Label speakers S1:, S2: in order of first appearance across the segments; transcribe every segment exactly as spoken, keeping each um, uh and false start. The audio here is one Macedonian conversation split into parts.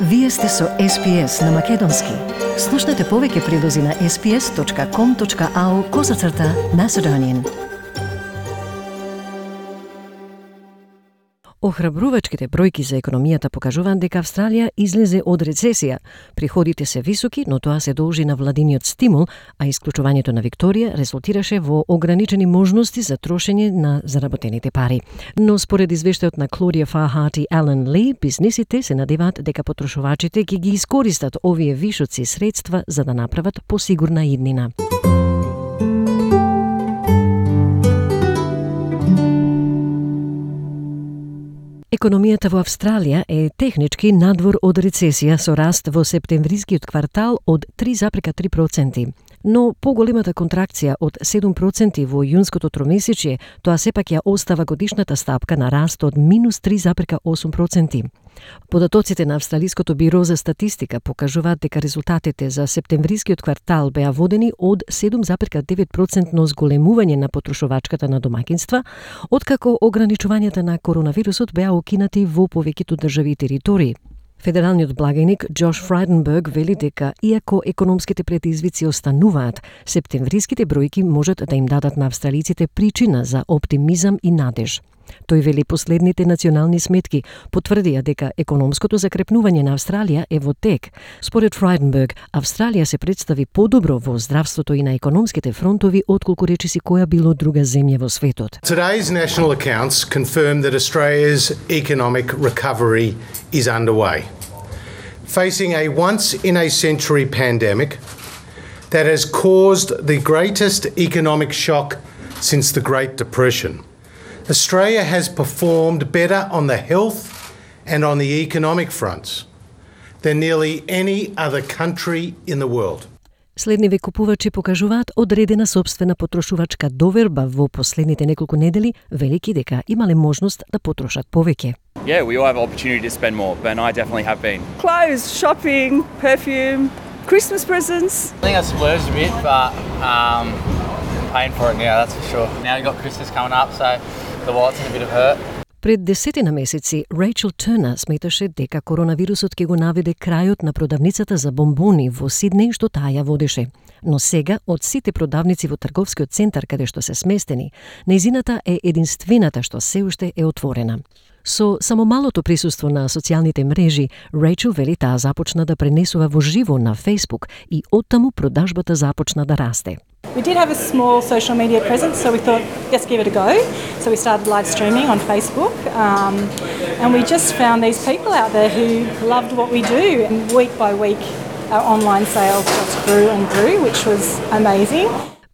S1: Вие сте со Ес Би Ес на Македонски. Слушнете повеќе прилози на ес би ес точка ком точка ау козацрта Macedonian. Охрабрувачките бројки за економијата покажуваат дека Австралија излезе од рецесија. Приходите се високи, но тоа се должи на владиниот стимул, а исклучувањето на Викторија резултираше во ограничени можности за трошење на заработените пари. Но според извештајот на Клодија Фахат и Ален Ли, бизнисите се надеваат дека потрошувачите ќе ги искористат овие вишоци средства за да направат посигурна иднина. Економијата во Австралија е технички надвор од рецесија со раст во септемврискиот квартал од три зарез три проценти. Но поголемата контракција од седум проценти во јунското тромесечје, тоа сепак ја остава годишната стапка на раст од минус три зарез осум проценти. Податоците на Австралиското биро за статистика покажуваат дека резултатите за септемврискиот квартал беа водени од седум зарез девет проценти зголемување на потрошувачката на домаќинства, откако ограничувањата на коронавирусот беа окинати во повеќето држави и територии. Федералниот благајник Джош Фрајденберг вели дека, иако економските предизвици остануваат, септемвриските бројки можат да им дадат на австралиците причина за оптимизам и надеж. Тој вели последните национални сметки потврдија дека економското закрепнување на Австралија е во тек. Според Фрајденберг, Австралија се представи подобро во здравството и на економските фронтови отколку речиси која било друга земја во светот.
S2: Today's national accounts confirm that Australia's economic recovery is underway. Facing a once-in-a-century pandemic that has caused the greatest economic shock since the Great Depression, Australia has performed better on the health and on the economic fronts than nearly any other country in the world.
S1: Следниве купувачи покажуваат одредена собствена потрошувачка доверба во последните неколку недели, велики дека имале можност да потрошат повеќе.
S3: Yeah, we all have an opportunity to spend more, but I definitely have been.
S4: Clothes, shopping, perfume, Christmas presents.
S5: I think I splurged a bit, but um, paying for it now, that's for sure. Now we've got Christmas coming up, so the wallet's in a bit of hurt.
S1: Пред десетина месеци, Рейчел Търнер сметаше дека коронавирусот ќе го наведе крајот на продавницата за бомбони во Сиднеј што таа ја водеше. Но сега, од сите продавници во трговскиот центар каде што се сместени, нејзината е единствената што се уште е отворена. Со само малото присуство на социјалните мрежи, Рейчел вели таа започна да пренесува во живо на Facebook и оттаму продажбата започна да расте.
S6: We did have a small social media presence, so we thought, let's give it a go. So we started live streaming on Facebook, um, and we just found these people out there who loved what we do. And week by week, our online sales just grew and grew, which was amazing.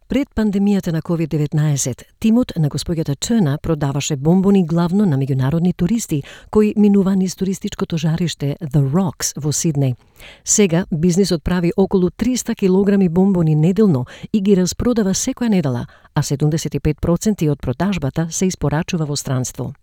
S1: Пред пандемијата на ковид деветнаесет, тимот на господјата Търнер продаваше бомбони главно на меѓународни туристи кои минува низ туристичкото жариште The Rocks во Сиднеј. Сега бизнисот прави околу триста килограми бомбони неделно и ги распродава секоја недела, а седумдесет и пет проценти од продажбата се испорачува во странство.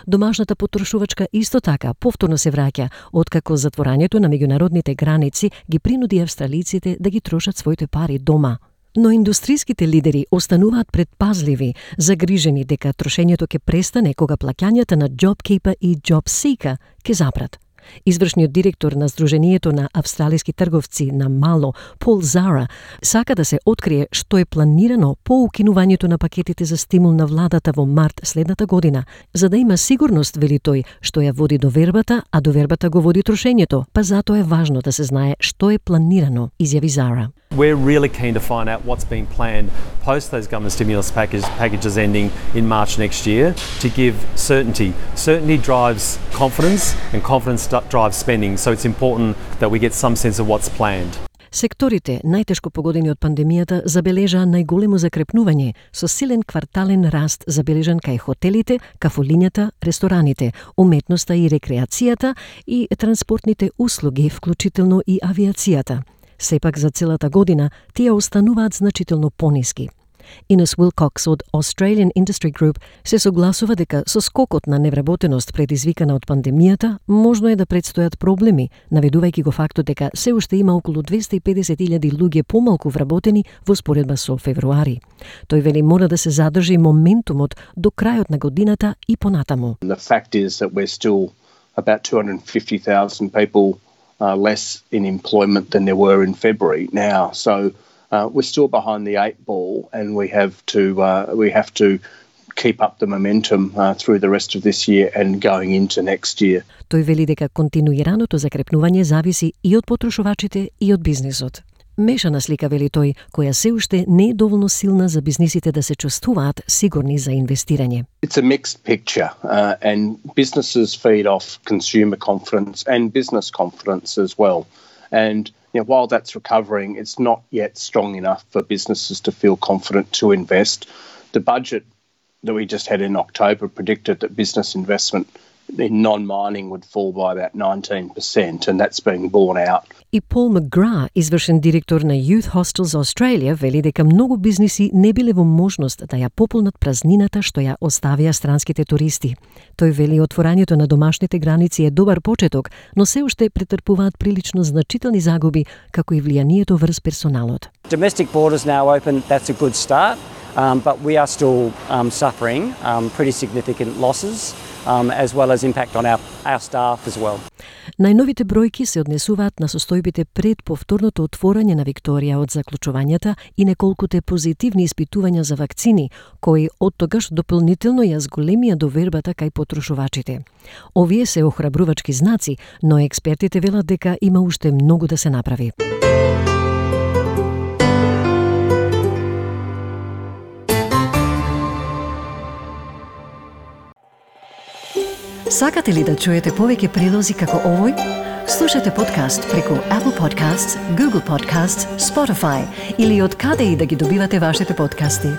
S1: Домашната потрошувачка исто така повторно се враќа, откако затворањето на меѓународните граници ги принуди австралиците да ги трошат своите пари дома. Но индустриските лидери остануваат предпазливи, загрижени дека трошењето ќе престане кога плаќањата на JobKeeper и JobSeeker ќе запрат. Извршниот директор на Сдруженијето на австралиски трговци на мало, Пол Зара, сака да се открие што е планирано по укинувањето на пакетите за стимул на владата во март следната година, за да има сигурност, вели тој, што ја води довербата, а довербата го води трошењето, па затоа е важно да се знае што е планирано, изјави Зара.
S7: We're really keen to find out what's being planned post those government stimulus package, packages ending in March next year to give certainty. Certainty drives confidence and confidence drives spending, so it's important that we get some sense of what's planned.
S1: Секторите, најтешко погодени од пандемијата, забележаа најголемо закрепнување, со силен квартален раст забележан кај хотелите, кафолињата, рестораните, уметноста и рекреацијата и транспортните услуги, вклучително и авиацијата. Сепак за целата година тие остануваат значително пониски. Инес Уилкокс од Australian Industry Group се согласува дека со скокот на невработеност предизвикана од пандемијата, можно е да предстојат проблеми, наведувајќи го фактот дека се уште има околу двесте и педесет илјади луѓе помалку вработени во споредба со февруари. Тој вели мора да се задржи моментумот до крајот на годината и понатаму.
S8: The fact is that we're still about two hundred fifty thousand people uh, less in employment than there were in February now. So uh, we're still behind the eight ball, and we have to uh, we have to keep up the momentum uh, through the rest of this year and going into next year.
S1: Тој вели дека континуираното закрепнување зависи и од потрошувачите и од бизнисот. Мешана слика, вели тој, која се уште не е доволно силна за бизнисите да се чувствуваат сигурни за инвестирање.
S8: It's a mixed picture uh, and businesses feed off consumer confidence and business confidence as well. And you know, while that's recovering, it's not yet strong enough for businesses to feel confident to invest. The budget that we just had in October predicted that business investment in non-mining would fall by about nineteen percent, and that's being borne out.
S1: И Пол Макгра, извршен директор на Youth Hostels Australia, вели дека многу бизниси не биле во можност да ја пополнат празнината што ја оставија странските туристи. Тој вели отворањето на домашните граници е добар почеток, но се уште претрпуваат прилично значителни загуби, како и влијанието врз персоналот.
S9: Domestic borders now open, that's a good start, um, but we are still um, suffering um, pretty significant losses. Um, as well as impact on our, our staff as well.
S1: Најновите бројки се однесуваат на состојбите пред повторното отворање на Викторија од заклучувањата и неколкуте позитивни испитувања за вакцини, кои оттогаш дополнително ја зголемија довербата кај потрошувачите. Овие се охрабрувачки знаци, но експертите велат дека има уште многу да се направи. Сакате ли да чуете повеќе прилози како овој? Слушате подкаст преку Apple Podcasts, Google Podcasts, Spotify или од каде и да ги добивате вашите подкасти.